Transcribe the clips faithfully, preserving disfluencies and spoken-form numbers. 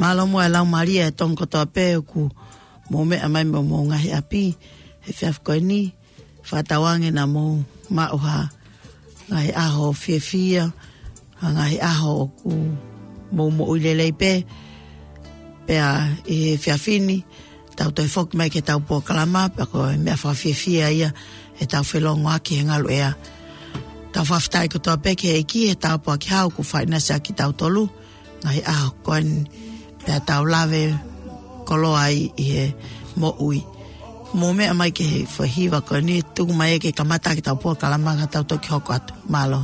Mālō muʻa e laumālie ʻa e Tonga kotoa pē ʻoku mou meʻa mai mei homou ngaahi ʻapi he efiafi ko eni. Fakatauange naʻa mou maʻu ha ngaahi ʻaho fiefia, ha ngaahi ʻaho ʻoku mou moʻui lelei pē. Pea ʻi he efiafi ni, tau toe foki mai ki heʻetau polokalama, pea ko e meʻa fakafiefia ia ʻetau felongoaki he ngaluʻea. Tau fakafetaʻi kotoa pē ki he ʻEiki he tāpuaki hau kuo fai ʻaki kitautolu ngaahi ʻaho ko eni, pea tau lave koloa ai ʻi he moʻui. Mou meʻa mai ki he foʻi hiva ko eni, tuku mai ke kamata ʻetau polokalama ka tau toki hoko atu. Mālō.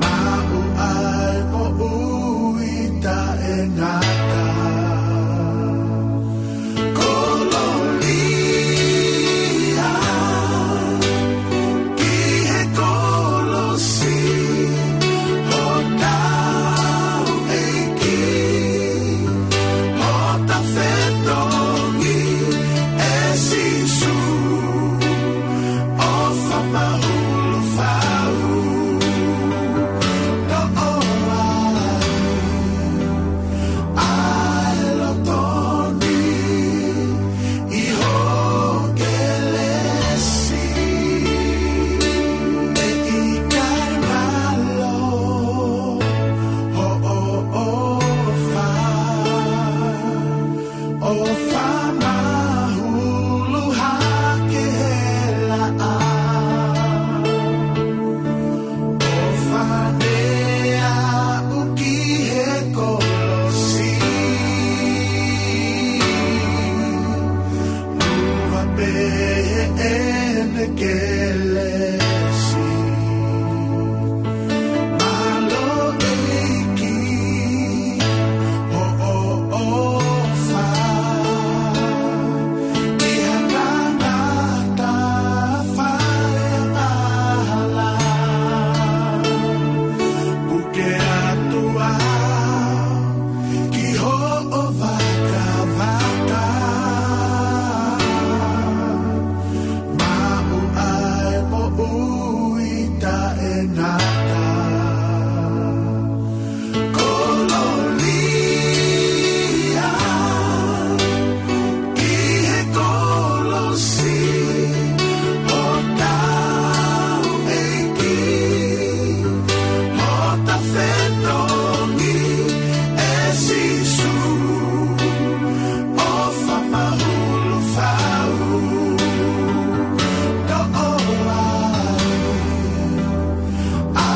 Maʻu ai moʻui taʻengata. Kolōlia ki he kolosi, hotau ʻEiki, hota fetongi ʻe Sīsū. ʻOfa mahulu fau, toʻo ai ʻa e loto ni ʻi ho kelesi. ʻE ʻikai ngalo hoʻo ʻofa. ʻOfa mahulu hake he laʻā. ʻOfa ne aʻu ki he kolosi. Muʻa pē heʻene kelesi. Mālō ʻEiki, hoʻo ʻofa. ʻI ha tangata fai angahala, puke atu au ki hoʻo vakavaka. Maʻu ai moʻui taʻengata. Kolōlia ki he kolosi, hotau ʻEiki, hota fetongi ʻe Sīsū. ʻOfa mahulu fau, toʻo ai ʻa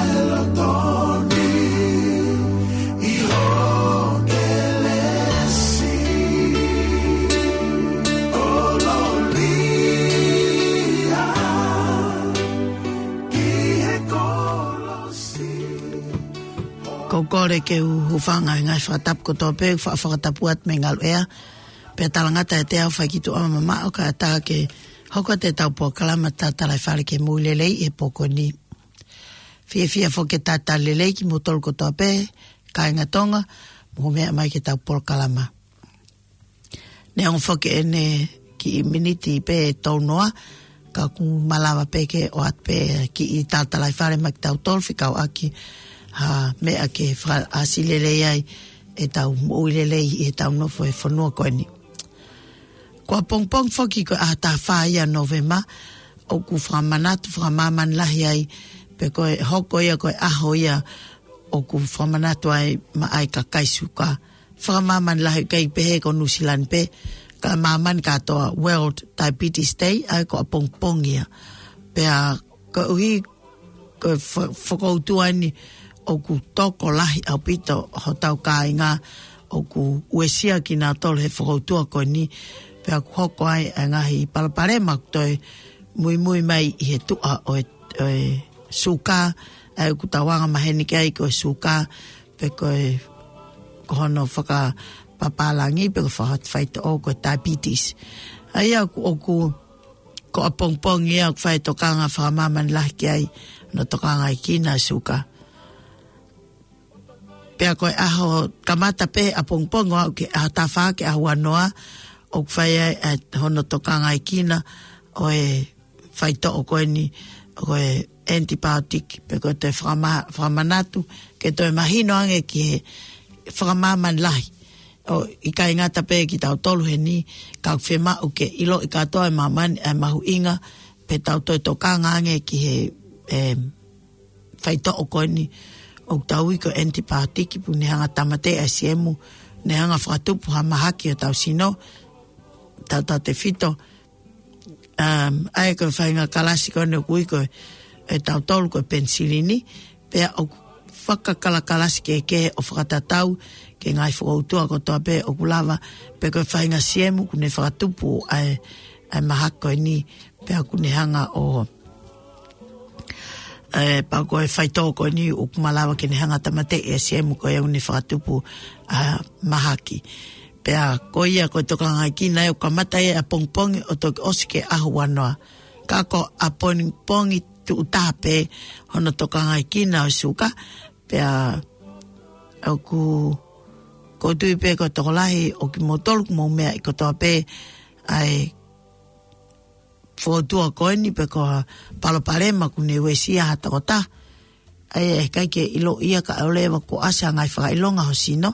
e loto ni ʻi ho kelesi. Kolōlia ki he kolosi. Ko e kole ke u hūfanga he ngaahi fakatapu kotoa pē, fa-, fakatapu atu mei he ngaluʻea. Pea talangata ʻiate au fai ki tuʻa mamaʻo kae ʻatā ke hoko atu ʻetau polokalama Tatalaifale ki he Moʻui Lelei he pō ko eni. Fiefia foki ke talitali lelei kimoutolu kotoa pē, kāinga Tonga, mou meʻa mai ki heʻetau polokalama. Neongo foki ʻene kiʻi miniti pē tau noa, ka ʻoku malava pē ke ʻoatu pē kiʻi tatalaifale maʻa kitautolu fekauʻaki ha meʻa ke fakaʻasi lelei ai ʻetau moʻui lelei ʻi heʻetau nofo he fonua ko eni. Ko ʻapongipongi foki ko e ʻaho taha fā ia ʻo Nōvema, ʻoku fakamanatu fakamāmani lahi ai, pe ko e hoko ia ko e ʻaho ia ʻoku fakamanatu ai maʻa e kakai suka. Fakamāmani lahi, ʻikai pehē ko Nuʻusila ni pē, ka māmani kātoa, World Diabetes Day, ʻa ia ko ʻapongipongi ia. Pea koeʻuhi ko e fa-, fakautua ni ʻoku tokolahi ʻaupito hotau kāinga ʻoku uesia kinautolu he fokoutua ko eni, pea ʻoku hoko ai ʻa e ngaahi palopalema ʻoku toe muimui mai ʻi he tuʻa ʻo e, ʻo e suka, ʻa ia ʻoku tau anga maheni ki ai ko e suka, pe ko e, ko hono fakapapālangi, pe ko e fakafaitoʻo ko e diabetes. ʻA ia ʻoku, ʻoku, ko ʻapongipongi ia ʻoku fai e tokanga fakamāmani lahi ki ai, hono tokangaʻi ʻa e suka. Pea ko e ʻaho kamata pē ʻapongipongi ʻo aʻu ki he ʻaho taha fā ki he ʻaho ua noa, ʻoku fai ai ʻa hono tokangaʻi ʻo e faitoʻo ko eni, ko e antibiotic, pe ko e toe fakama-, fakamanatu, ke toe mahino ange ki he fakamāmani lahi. ʻO ʻikai ngata pē kitautolu heni, ka ʻoku fiemaʻu ke ʻiloʻi kātoa ʻe māmani ʻa e mahuʻinga, pea tau toe tokanga ange ki he, em, faitoʻo ko eni ʻoku tau ui ko e antibiotic, pea ne hanga ʻo tāmateʻi ʻa e siemu, ne hanga ʻo fakatupu ha mahaki ʻi hotau sino, tautautefito, um, ʻa ia ko e faʻahinga kalasi ko eni ʻoku ui ko e, ʻe tautolu ko e penisilini, pea ʻoku fakakalakalasi kehekehe ʻo fakatatau ki he ngaahi fokoutua kotoa pē ʻoku lava, pe ko e faʻahinga siemu ʻoku ne fakatupu ʻa e, ʻa e mahaki ko eni, pea ʻoku ne hanga ʻo, ē, pea ko e faitoʻo ko eni ʻoku malava ke ne hanga ʻo tāmateʻi ʻa e siemu ko ia ʻoku ne fakatupu ʻa e mahaki. Pea ko ia ko e tokangaʻi ʻoku kamata ia ʻapongipongi ʻo toki ʻosi ki he ʻaho ua noa. Ka ko ʻapongipongi tuʻu taha pē hono tokangaʻi ʻo e suka, pea ʻoku, ʻoku ou tui pē ko e tokolahi ʻo kimoutolu ʻoku mou meaʻi kotoa pē ʻa e fokoutua ko eni pe ko ha palopalema ʻoku ne uesia ha tokotaha. ʻA ia ʻe ʻikai ke ʻilo ia kae ʻoua leva kuo ʻasi ha ngaahi fakaʻilonga ho sino.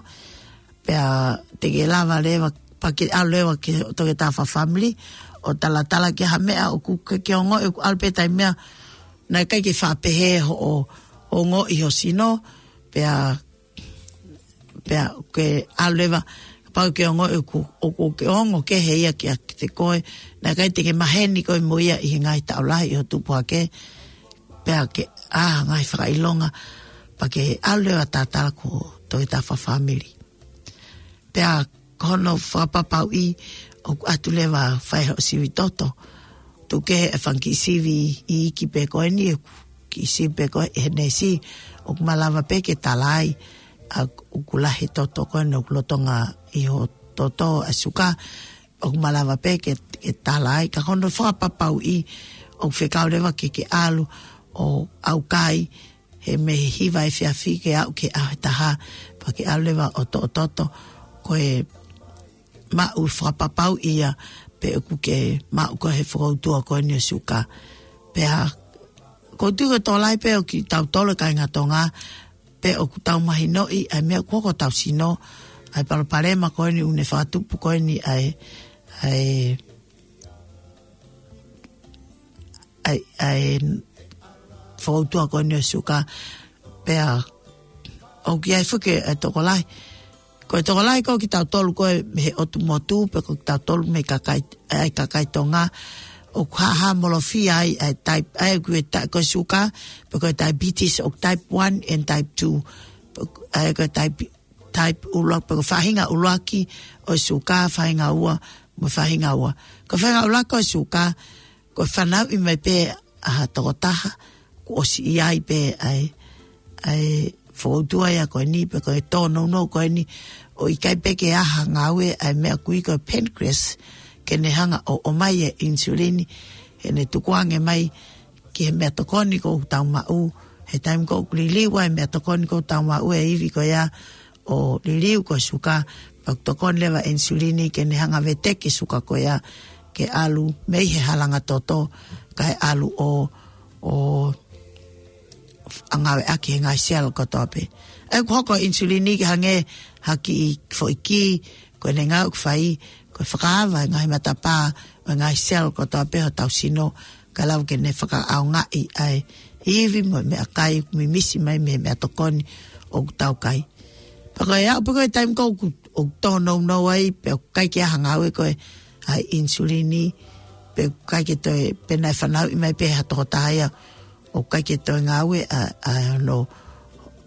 Pea te ke lava leva, pea ke ʻalu leva ki he toketā fakafāmili ʻo talatala ki ha meʻa ʻoku ke, ke ongoʻi ʻoku ʻalu pē taimi ia, naʻe ʻikai ke faʻa pehē hoʻo, hoʻo ongoʻi ho sino, pea pea ke ʻalu leva, kapau ke ongoʻi ʻoku, ʻoku ke ongo kehe ia kiate koe, naʻe ʻikai te ke maheni koe mo ia ʻi he ngaahi taʻu lahi ʻi hoʻo tupu hake, pea ke ʻā ha ngaahi fakaʻilonga, pea ke ʻalu leva ʻo talatala ki he toketā fakafāmili. Pea ko hono fakapapauʻi ʻoku ʻatu leva ʻo fai hoʻo sivi toto. Tuku kehe e fanga kiʻi sivi iiki pē ko eni, kiʻi sivi pē ko ē he neesi, ʻoku malava pē ke tala ai ʻa ʻoku lahi e toto ko eni ʻoku lolotonga ʻi hoʻo toto ʻa e suka, ʻoku malava pē ke, ke tala ai, ka ko hono fakapapauʻi ʻoku fekau leva ke ke ʻalu ʻo ʻaukai he mei he hiva efiafi ke aʻu ki he ʻaho ʻe taha, pea ke ʻalu leva ʻo toʻo toto, ko e maʻu fakapapauʻi ia pe ʻoku ke maʻu koe he fokoutua ko eni ʻo e suka. Pea ʻoku ou tui ko e tokolahi pē ʻo kitautolu kāinga Tonga, pe ʻoku tau mahinoʻi ʻa e meʻa ʻoku hoko ʻi hotau sino, ʻa e palopalema ko eni ʻoku ne fakatupu ko eni ʻa e, ʻa e, ʻa e, ʻa e fokoutua ko eni ʻo e suka, pea ʻoku ʻi ai foki e tokolahi. Ko e tokolahi ko kitautolu ko ē mei he ʻotu motu, pe ko kitautolu mei he kakai, ʻa e kakai Tonga, ʻoku haʻamolofia ai ʻa e type, ʻa ia ko e ta-, ko e suka, pe ko e diabetes ʻoku type one and type two. Pe ko, ʻa ia ko e type, type ʻuluaki, pe ko e faʻahinga ʻuluaki ʻo e suka, faʻahinga ua, mo e faʻahinga ua. Ko e faʻahinga ʻuluaki ʻo e suka, ko e fanauʻi mai pē ʻa ha tokotaha, kuo ʻosi ʻi ai pē ʻa e, ʻa e fokoutua ia ko eni, pe ko e tōnounou ko eni, ʻo ʻikai pē ke ʻā ha ngāue ʻa e meʻa ʻoku ui ko e pancreas, ke ne hanga ʻo ʻomai e insulini, he ne tukuange mai ki he meʻatokoni ʻoku tau maʻu, he taimi ʻoku liliu ai e meʻatokoni ʻoku tau maʻu ʻe he ivi ko ia ʻo liliu ko e suka, pea ʻoku tokoni leva e insulini ke ne hanga ʻo veteki e suka ko ia ke ʻalu mei he halanga toto, kae ʻalu ʻo, ʻo ngāueʻaki he ngaahi cell kotoa pē. ʻA ia ʻoku hoko e insulini ke hangē ha kiʻi foʻi kī, ko ʻene ngāue ʻoku fai, ko e fakaava e ngaahi matapā ʻo e ngaahi cell kotoa pē hotau sino, kae lava ke ne fakaʻaongaʻi ʻa e ivi mo e meʻakai ʻoku mimisi mai mei he meʻatokoni ʻoku tau kai. Pea ko e aʻu pē ko ē taimi ʻoku, ʻoku tōnounou ai, pe ʻoku ʻikai ke ʻā ha ngāue ko ē ʻa e insulini, pe ʻoku ʻikai ke toe, pe naʻe fanauʻi mai pē ha tokotaha ia, ʻoku ʻikai ke toe ngāue ʻa, ʻa hono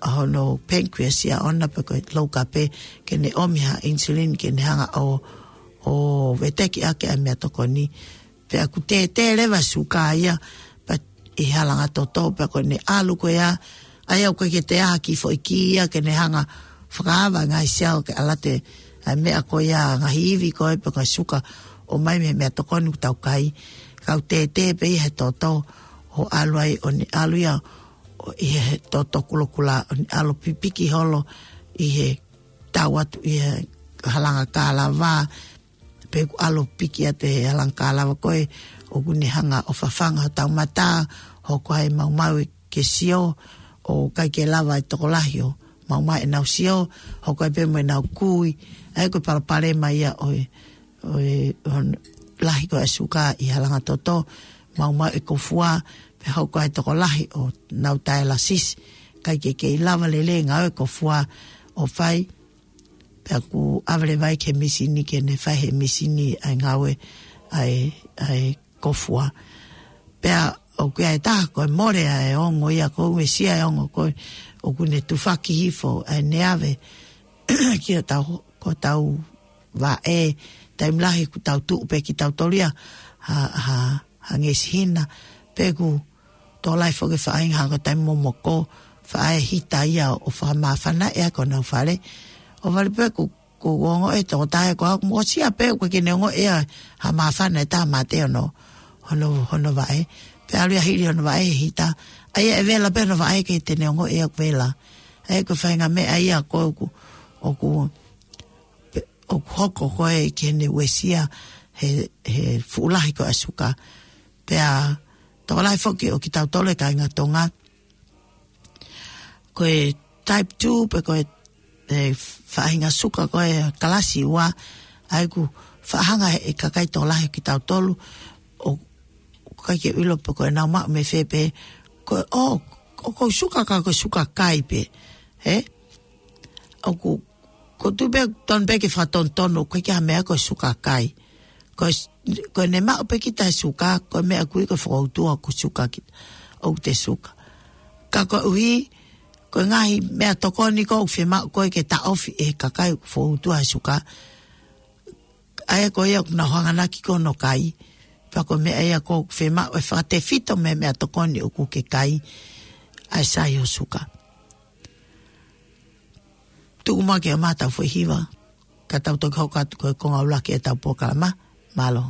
hono pancreas ia ʻoʻona pe ko e loukape ke ne ʻomi ha insulin ke ne hanga ʻo, ʻo veteki ʻaki ʻa e meʻatokoni. Pea ʻoku tētē leva e suka ia, pea ʻi he halanga toto, pea ko ʻene ʻalu ko ia, ʻa ia ʻoku ʻikai ke toe ʻi ai ha kiʻi foʻi kī ia ke ne hanga fakaava e ngaahi cell ke ʻalu atu ʻa e meʻa ko ia, ngaahi ivi ko ē pe ko e suka ʻoku ʻomai mei he meʻatokoni ʻoku tau kai. Ka ʻoku tētē pē ia he toto, ʻo ʻalu ai ʻo ne ʻalu ia ʻo ʻi he toto kulokula, ʻo ne ʻalu ʻo pipiki holo ʻi he tau atu ʻi he halanga kālava, pe ʻoku ʻalu ʻo piki atu he halanga kālava ko ē, ʻoku ne hanga ʻo fafanga hotau mata, hoko ai e maumau ke sio, ʻoku ʻikai ke lava e tokolahi ʻo maumau ʻenau sio, hoko ai pē mo ʻenau kui, ʻa ia ko e palopalema ia ʻo e, ʻo e, ʻo e lahi ko ē ʻa e suka ʻi he halanga toto, maumau e kofua, pea hoko ai e tokolahi ʻo nau dialysis, ʻikai ke kei lava lelei e ngāue e kofua ʻo fai, pea ʻoku ʻave leva ia ki he mīsini ke ne fai ʻe he mīsini ʻa e ngāue ʻa e, ʻa e kofua. Pea ʻoku ʻi ai e taha ko e mole ʻa e ongo ia, ko e uesia e ongo ko ē, ʻoku ne tufaki hifo ʻa ʻene ʻave ki hotau, ko hotau vaʻe, taimi lahi ʻoku tau tuʻu pē kitautolu ia ha, ha, ha ngeʻesi hina, pe ʻoku tokolahi foki e faʻahinga hangē ko e taimi momoko, faʻa ʻai e hita ia ʻo fakamāfana ʻaki honau fale. ʻO vale pē ʻoku, ʻoku ongoʻi ʻe he tokotaha ko au, mou sio pē ʻoku ʻikai ke ne ongoʻi ia ha māfana ʻe taha mate hono, hono, hono vaʻe. Pea ʻalu ia hili hono vaʻe he hita. ʻA ia ʻe vela pē hono vaʻe ʻikai te ne ongoʻi ia ʻoku vela. ʻA ia ko e faʻahinga meʻa ia ko ē ʻoku, ʻoku, pe, ʻoku hoko ko ē ki heʻene uesia he, he fuʻu lahi ko ē ʻa e suka. Pea tokolahi foki ʻo kitautolu e kāinga Tonga, ko e type two pe ko e, e faʻahinga suka ko e kalasi ua, ʻa ia ʻoku faʻa hanga ʻe he kakai tokolahi ʻo kitautolu ʻo, ʻoku ʻikai ke ʻilo pe ko ʻenau maʻu mei fē pē, ko e, ʻo, ʻoku ou suka ka ko e suka kai pē, ē? ʻOku, ʻoku ou tui pē ʻoku totonu pē ke fakatonutonu, ʻoku ʻikai ke ʻi ai ha meʻa ko e suka kai. Ko e s-, ko ʻene maʻu pē kita e suka, ko e meʻa ʻoku ui ko e fokoutua ʻoku suka kita, ʻoku te suka. Ka koeʻuhi, ko e ngaahi meʻatokoni ko ē ʻoku fiemaʻu ko ē ke taʻofi ʻe he kakai ʻoku fokoutua he suka, ʻa ia ko ia ʻoku nau hanganaki ko ē ʻo kai. Pea ko e meʻa ia ko ē ʻoku fiemaʻu ʻe fakatefito mei he meʻatokoni ʻoku ke kai, ʻa e sai ho suka. Tuku muʻa ke ʻomai haʻatau foʻi hiva, ka tau toki hoko atu ko e konga ʻuluaki ʻetau polokalama. Mālō.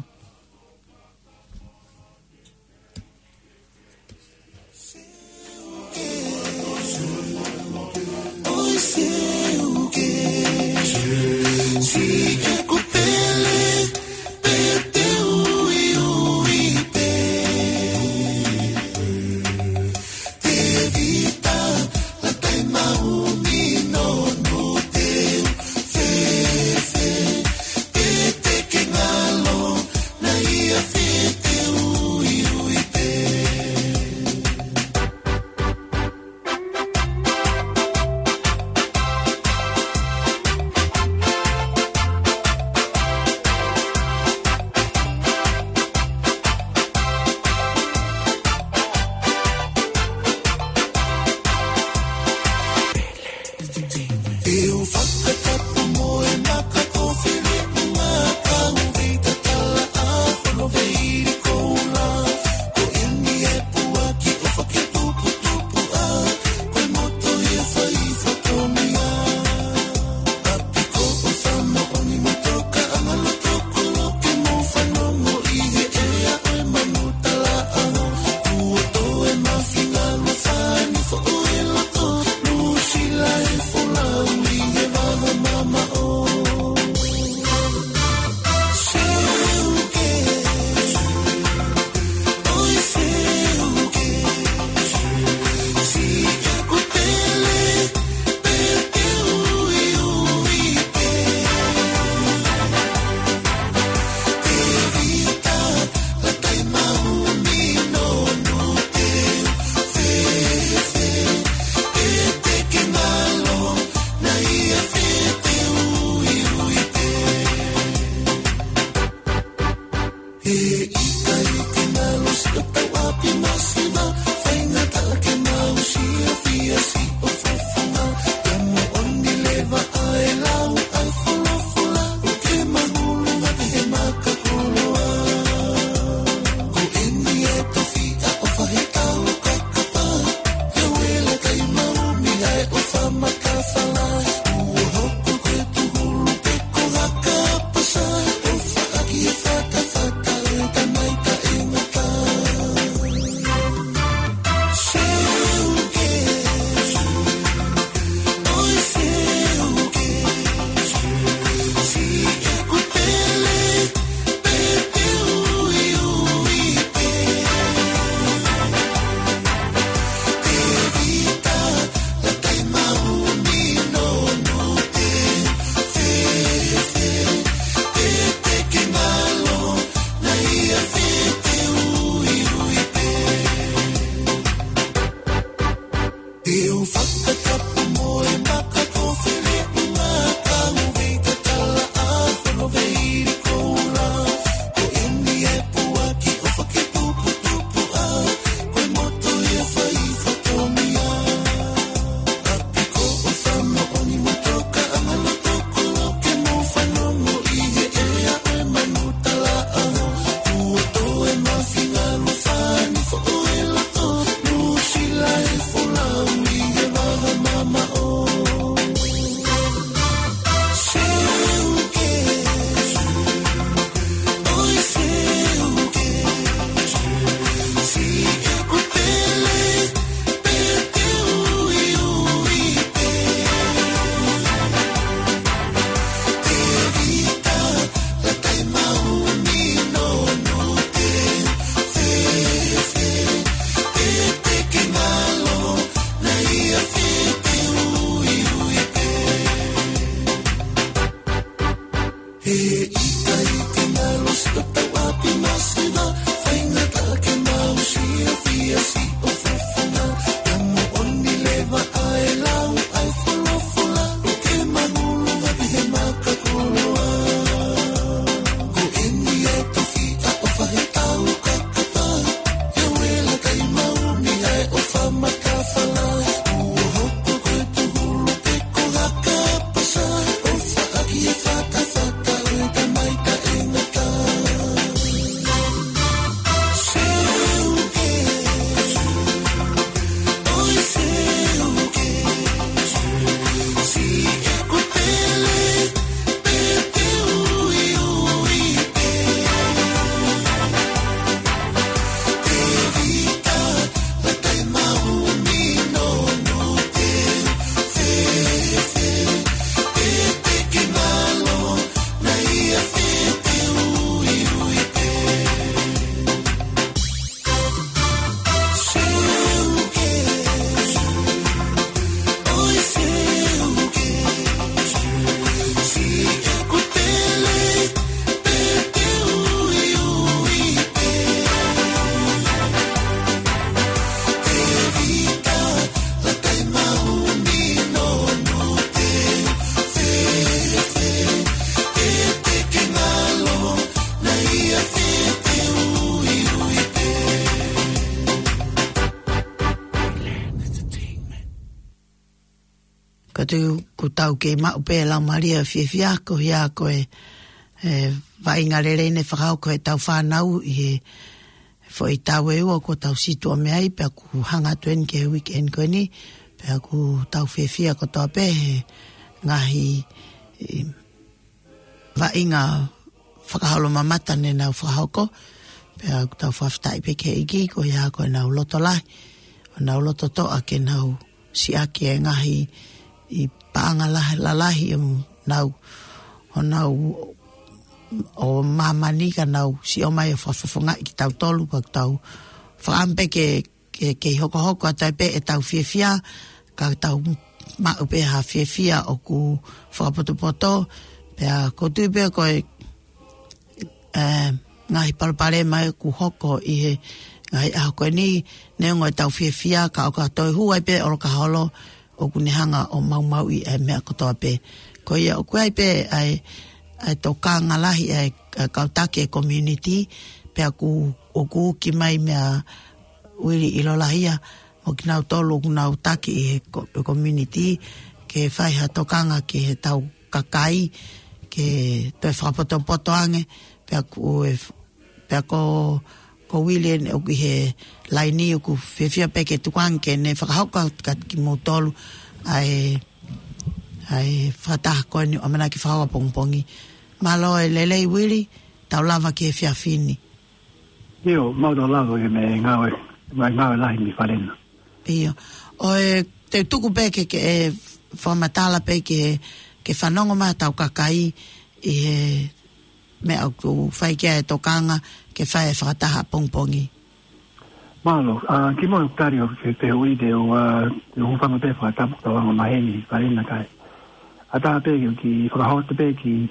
Atu ku tau kei maʻu pē lau malia fiefia ko ia ko e, e, vaʻinga lelei ne fakahoko ʻe tau fānau ʻi he foʻi tau e ua ko tau situa mea ai, pea ku hanga atu eni ke weekend ko eni, pea ku tau fiefia kotoa pē he ngaahi, e, vaʻinga fakaholo mamata ne nau fakahoko, pea ku tau fakafetaʻi pē ke iki ko ia ko e nau loto lahi, ʻo nau loto toʻa ke nau siʻaki e ngaahi ʻi paʻanga lahi, lalahi ʻo nau, ʻo nau, ʻo māmani ka nau siʻo mai ʻo fakafofongaʻi kitautolu, pea tau fakaʻamu pē ke, ke, ke hokohoko atu ai pē ʻetau fiefia, ka tau maʻu pē ha fiefia ʻoku fakapotopoto, pea ko tui pē ko e e, ngaahi palopalema ʻoku hoko ʻi he ngaahi ʻaho ko eni, neongo ʻetau fiefia ka ʻoka toe hū ai pē ʻolokaholo ʻoku ne hanga ʻo maumauʻi e meʻa kotoa pē. Ko ia ʻoku ai pē ʻa e, ʻa e tokanga lahi ʻa e, ʻa e kau taki e community, pea ʻoku, ʻoku uki mai meia Uili ʻIlolahia, mo kinautolu ʻoku nau taki ʻi he ko-, he community, ke fai ha tokanga ki he tau kakai, ke toe fakapotopoto ange, pea ku e f-, pea ko, ko Uili eni ʻoku ʻi he laini ʻoku fiefia pē ke tukuange ke ne fakahoko atu kiate kimoutolu ʻa e, ʻa e fakataha ko eni ʻoku ʻamanaki fakahoko ʻapongipongi. Mālō e lelei Uili, tau lava ki he efiafi ni. ʻIo, mau tau lava ke me ngāue, me ngāue lahi mi falena. ʻIo. ʻOku ou tuku pē ke, ke, e, fakamatala pē ke, ke fanongo mai ʻa e tau kakai ʻi he meʻa ʻoku fai ki ai e tokanga ke fai e fakataha ʻapongipongi. Mālō, ʻa, kimuʻa ʻoku tali ʻo ke, ke ui te u, ʻa, te u hūfanga pē fakatapu tau anga maheni falena kae. ʻAtā pē ke u kiʻi fakahoko pē kiʻi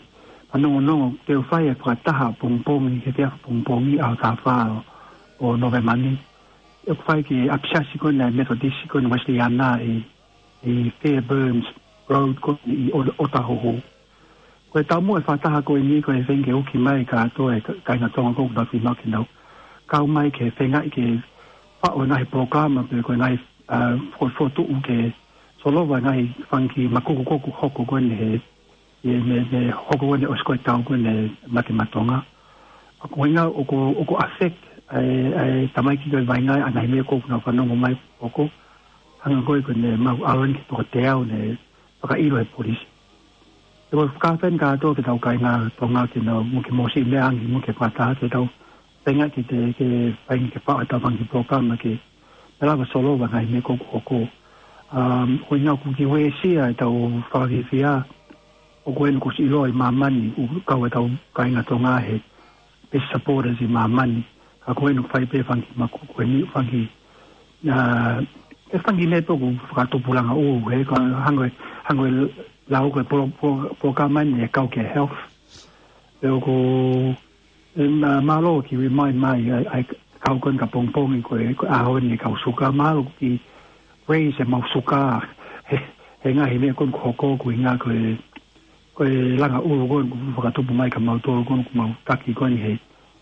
fanongonongo te u fai e fakataha ʻapongipongi, he efiafi ʻapongipongi ʻaho taha fā ʻo Nōvema ni. ʻOku fai ki he ʻapisiasi ko eni ʻa e Methodist ko eni Uēsiliana ʻi, ʻi Fairburns Road ko eni ʻi ʻOta-, ʻOtahuhu. Ko e taumuʻa e fakataha ko eni ko e feinga ke uki mai kātoa e ka-, kāinga Tonga ko ē ʻoku nau fiemaʻu ke nau kau mai ke feingaʻi ke faʻu e ngaahi polokalama pe ko e ngaahi, ʻa, fo-, fokotuʻu ke solova e ngaahi fanga kiʻi makuku ko ē ʻoku hoko ko eni he, ʻi he meʻa, meʻa hoko ko eni ʻosi ko e tau ko eni mate maʻa Tonga. ʻA ko e ʻuhinga ʻoku, ʻoku affect ʻa e, ʻa e tamaiki ko ē vaʻinga ʻa e ngaahi meʻa ko ē ʻoku nau fanongo mai ʻoku hangē ko ē ko eni mau ʻalu eni ki he toko teau ne fakaʻilo ʻe he polisi. ʻE ʻoku fakafetaʻi kātoa ki he tau kāinga Tonga ke nau mo ke mōsiʻi meʻa ange mo ke fakataha ke tau feinga ke te, ke feinga ke faʻu e tau fanga kiʻi polokalama ke, ke lava solova e ngaahi meʻa ko ē ʻoku hoko. Um, ʻuhinga ʻoku kiʻi uesia e tau fakafiefia, ʻoku eni kuo ʻosi ʻiloa ʻi māmani, ʻoku kau e tau kāinga Tonga he best supporters ʻi māmani. Ka ko eni ʻoku fai pē fanga kiʻi makuku ko eni fanga kiʻi, ʻa, e fanga kiʻi meʻa pē ʻoku fakatupu langa ʻū, he ko e hangē, hangē lau ko e polo-, polo-, polokalama eni ʻe kau ki he health. Pea ʻoku, ʻe mā-, mālō kiʻi remind mai, ʻa e, ʻa e kau ko eni ka pongipongi ko e, ko e ʻaho eni e kau suka, mālō kiʻi raise e mau suka, he, he ngaahi meʻa ko eni ʻoku hoko ʻoku ʻuhinga ko e, ko e langa ʻū ko eni ʻoku fakatupu mai kia mautolu ko eni ʻoku mau taki ko eni he,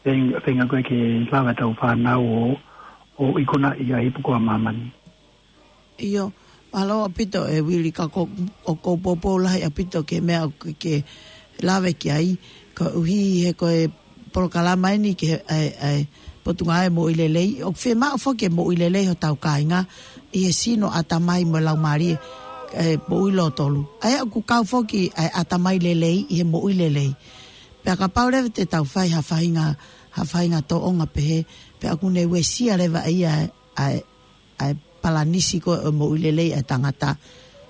feinga, feinga ko ē ke lava e tau fānau ʻo, ʻo ikunaʻi ʻa e ipu ko ē ʻa māmani. ʻIo, mālō ʻaupito ʻe Uili ka ko, ʻoku ou poupou lahi ʻaupito ki he meʻa ʻoku ke, ke lave ki ai, koeʻuhi he ko e polokalama eni ki he, ʻa e, ʻa e Potungāue Moʻui Lelei, ʻoku fiemaʻu foki e moʻui lelei hotau kāinga, ʻi he sino, ʻatamai mo e laumālie, ʻa e moʻui lōtolu. ʻA ia ʻoku kau foki ʻa e ʻatamai lelei ʻi he moʻui lelei. Pea kapau leva te tau fai ha faʻahinga, ha faʻahinga tōʻonga pehē, pea ʻoku ne uesia leva ʻe ia ʻa e, ʻa e palanisi ko ē ʻo e moʻui lelei ʻa e tangata.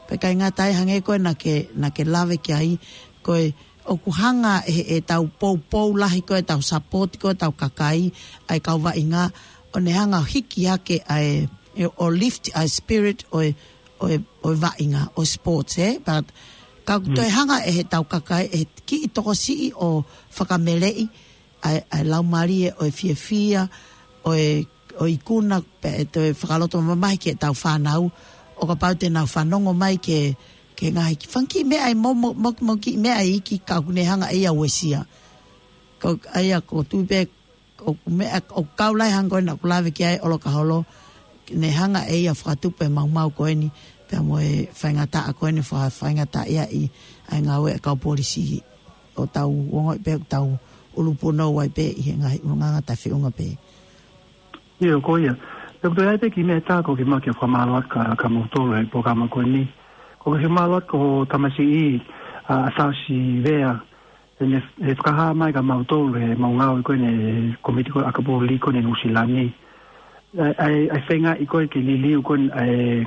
Pea ʻikai ngata ai, hangē ko ē naʻa ke, naʻa ke lave ki ai, ko e ʻoku hanga ʻe, ʻe tau poupou lahi ko ē, tau support ko ē, tau kakai, ʻa e kau vaʻinga, ʻo ne hanga ʻo hiki hake ʻa e, ʻe, ʻo lift ʻa e spirit ʻo e, ʻo e, ʻo e vaʻinga, ʻo e sports, ē? But, ka ʻoku Mm. toe hanga ʻe he tau kakai, ʻe kiʻi tokosiʻi ʻo fakameleʻi, ʻa e, ʻa e laumālie ʻo e fiefia, ʻo e, ʻo e ikuna, pea ʻe toe fakaloto mamahi ki he tau fānau, ʻo kapau te nau fanongo mai ki he, ki he ngaahi ki-, fanga kiʻi meʻa ʻe mo, mo, mo, mo kiʻi meʻa ʻe iki ka ʻoku ne hanga ʻe ia ʻo uesia. Ko, ʻa ia ʻoku ou tui pē, ʻoku meʻa, ʻoku kau lahi hangē ko ē naʻa ku lave ki ai ʻolokaholo, ne hanga ʻe ia ʻo fakatupu e maumau ko eni, pea mo e faingataʻa ko eni fa-, faingataʻaʻia ʻi ʻa e ngāue ʻa e kau polisi ʻo tau ongoʻi pē ʻoku tau ʻulupunou ai pē ʻi he ngaahi ʻulungaanga taʻefeʻunga pē. ʻIo, ko ia. Pea ko e toe ʻai pē kiʻi meʻa ʻe taha ko e kiʻi meʻa ke fakamālō atu kia, kia moutolu he polokalama ko eni. Ko e kiʻi fakamālō atu ko ho tamasiʻi, ʻa, ʻa Saosi Vea, ʻene, ʻene fakahā mai kia moutolu he ʻemau ngāue ko eni he kōmiti ko ē ʻakapulu lī ko eni Nuʻusila ni. ʻA e, ʻa e, ʻa e feingaʻi ko ē ke liliu ko eni ʻa e,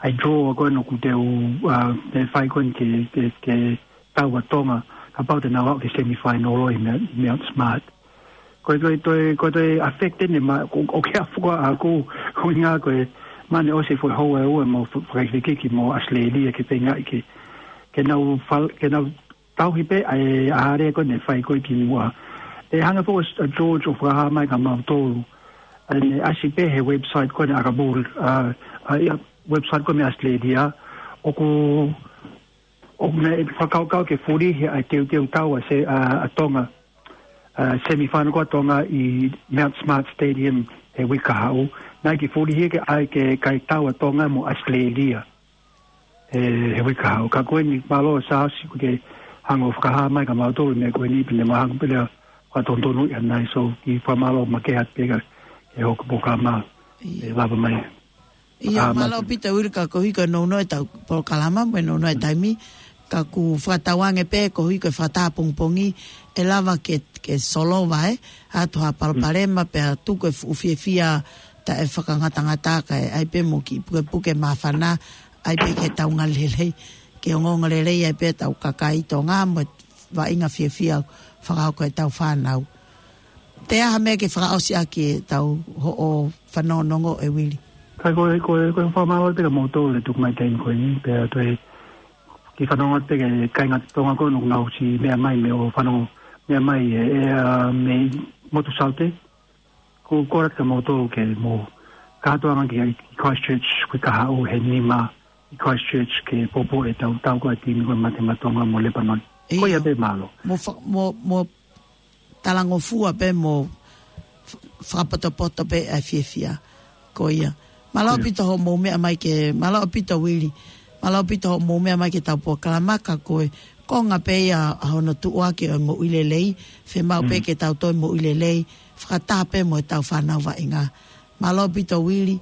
ʻa e draw ko eni ʻoku teu, ʻa, te fai ko eni ke, ke, ke taua ʻa Tonga, kapau te nau aʻu ki he semifinal ʻi Mount, Mount Smart. Ko e toe, toe, ko e toe affect eni ma, ʻo, ʻoku ʻikai fuka ʻaku, ko e ʻuhinga ko e, mahalo ʻosi e foʻi houa ʻe ua ʻemau fa-, fakaʻekeʻeke mo ʻAositelēlia ke feingaʻi ke, ke nau fal-, ke nau tauhi pē ʻa e, ʻa e area ko eni ʻe fai ko ē ki muʻa. ʻE hanga foki ʻa George ʻo fakahā mai kia moutolu. ʻA ʻene ʻasi pē he website ko eni ʻakapulu, ʻa, ʻa ia website ko eni ʻAositelēlia. ʻOku, ʻoku ne fakakaukau ke fulihi ʻa e teuteu taua ʻa se, ʻa, ʻa Tonga. ʻA, semifinal ko ē ʻa Tonga ʻi Mount Smart Stadium he uike kahaʻu. Naʻe ʻikai ke fulihi ke ʻai ke kai taua ʻa Tonga mo ʻAositelēlia. He, he uike kahaʻu. Ka ko eni mālō Saosi ʻoku ke hanga ʻo fakahā mai kia moutolu e meʻa ko eni pea ne mahalo pē leva ʻoku totonu ia nai, so kiʻi fakamālō makehe atu pē kia, kia hoʻo polokalama. ʻIo. ʻE lava mai. ʻIo, mālō ʻaupito Uili, ka koeʻuhi ko e nounou ʻetau polokalama mo e nounou e taimi, ka ʻoku fakatauange pē koeʻuhi ko e fakataha pongipongi ʻe lava ke, ke solova ʻe, ʻa e toʻa palopalema pea tuku e fuʻu fiefia taʻefakangatangata kae ʻai pē mo e kiʻi pukepuke māfana, ʻai pē ke tau ongoongolelei, ke ongoongolelei ai pē ʻetau kakai Tonga mo e vaʻinga fiefia fakahoko ʻetau fānau. Toe ʻi ai ha meʻa ke fakaʻosi ʻaki ʻetau hoʻo fanongonongo ē Uili? Ka ko e, ko e, ko e fakamālō pē kia moutolu he tuku mai taimi ko eni, pea toe kiʻi fanongo pē ki he kāinga Tonga ko ē ʻoku nau ʻosi meʻa mai mei ʻo fanongo, meʻa mai ē, ē, ʻa, mei motu Saute. Ko, kole atu kia moutolu ke mou kātoanga ki, ki Christchurch, uike kahaʻu he nima ʻi Christchurch ke poupou ʻetau, tau ko e timi ko ē Mate Maʻa Tonga mo Lepanoni. ʻIo. Ko ia pē, mālō. Mo fa-, mo, mo talangofua pē mo f-, fakapotopoto pē ʻa e fiefia. Ko ia. Mālō ʻaupito hoʻomou meʻa mai ki he, mālō ʻaupito Uili. Mālō ʻaupito hoʻomou meʻa mai ki heʻetau polokalama, ka ko e konga pē ia ʻa hono tuʻuaki ʻo e moʻui lelei, fiemaʻu pē ke tau toe moʻui lelei, fakataha pē mo ʻetau fānau vaʻinga. Mālō ʻaupito Uili,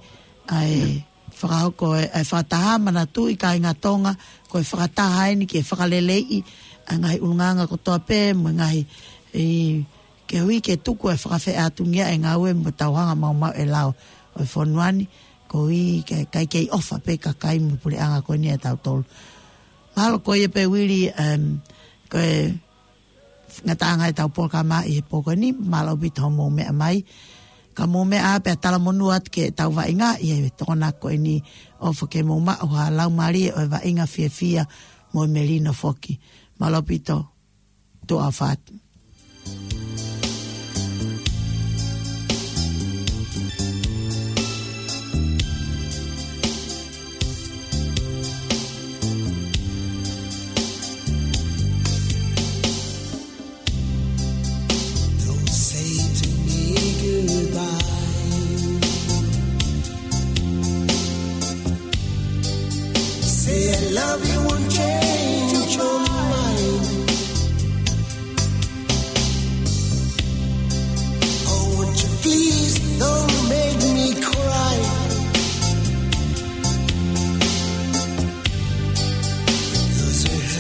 ʻa e fakahoko e, e fakataha, manatuʻi kāinga Tonga, ko e fakataha eni ke fakaleleiʻi ʻa e ngaahi ʻulungaanga kotoa pē, mo e ngaahi, ʻi, koeʻuhi ke tuku e fakafeʻātungia e ngāue mo tau hanga maumau e lao ʻo e fonua ni, koeʻuhi ke, kae kei ʻofa pē kakai mo e puleʻanga ko eni ʻatautolu. Mālō ko ia pē Uili, em, ko e ngataʻanga ʻetau polokalama ʻi he pō ko eni, mālō ʻaupito hoʻomou meʻa mai. Ka mou meʻa pea talamonū atu ki heʻetau vaʻinga ʻi he Tokonaki ko eni, ʻofa ke mou maʻu ha laumālie ʻo e vaʻinga fiefia mo e melino foki. Mālō ʻaupito, tuʻa ʻofa atu.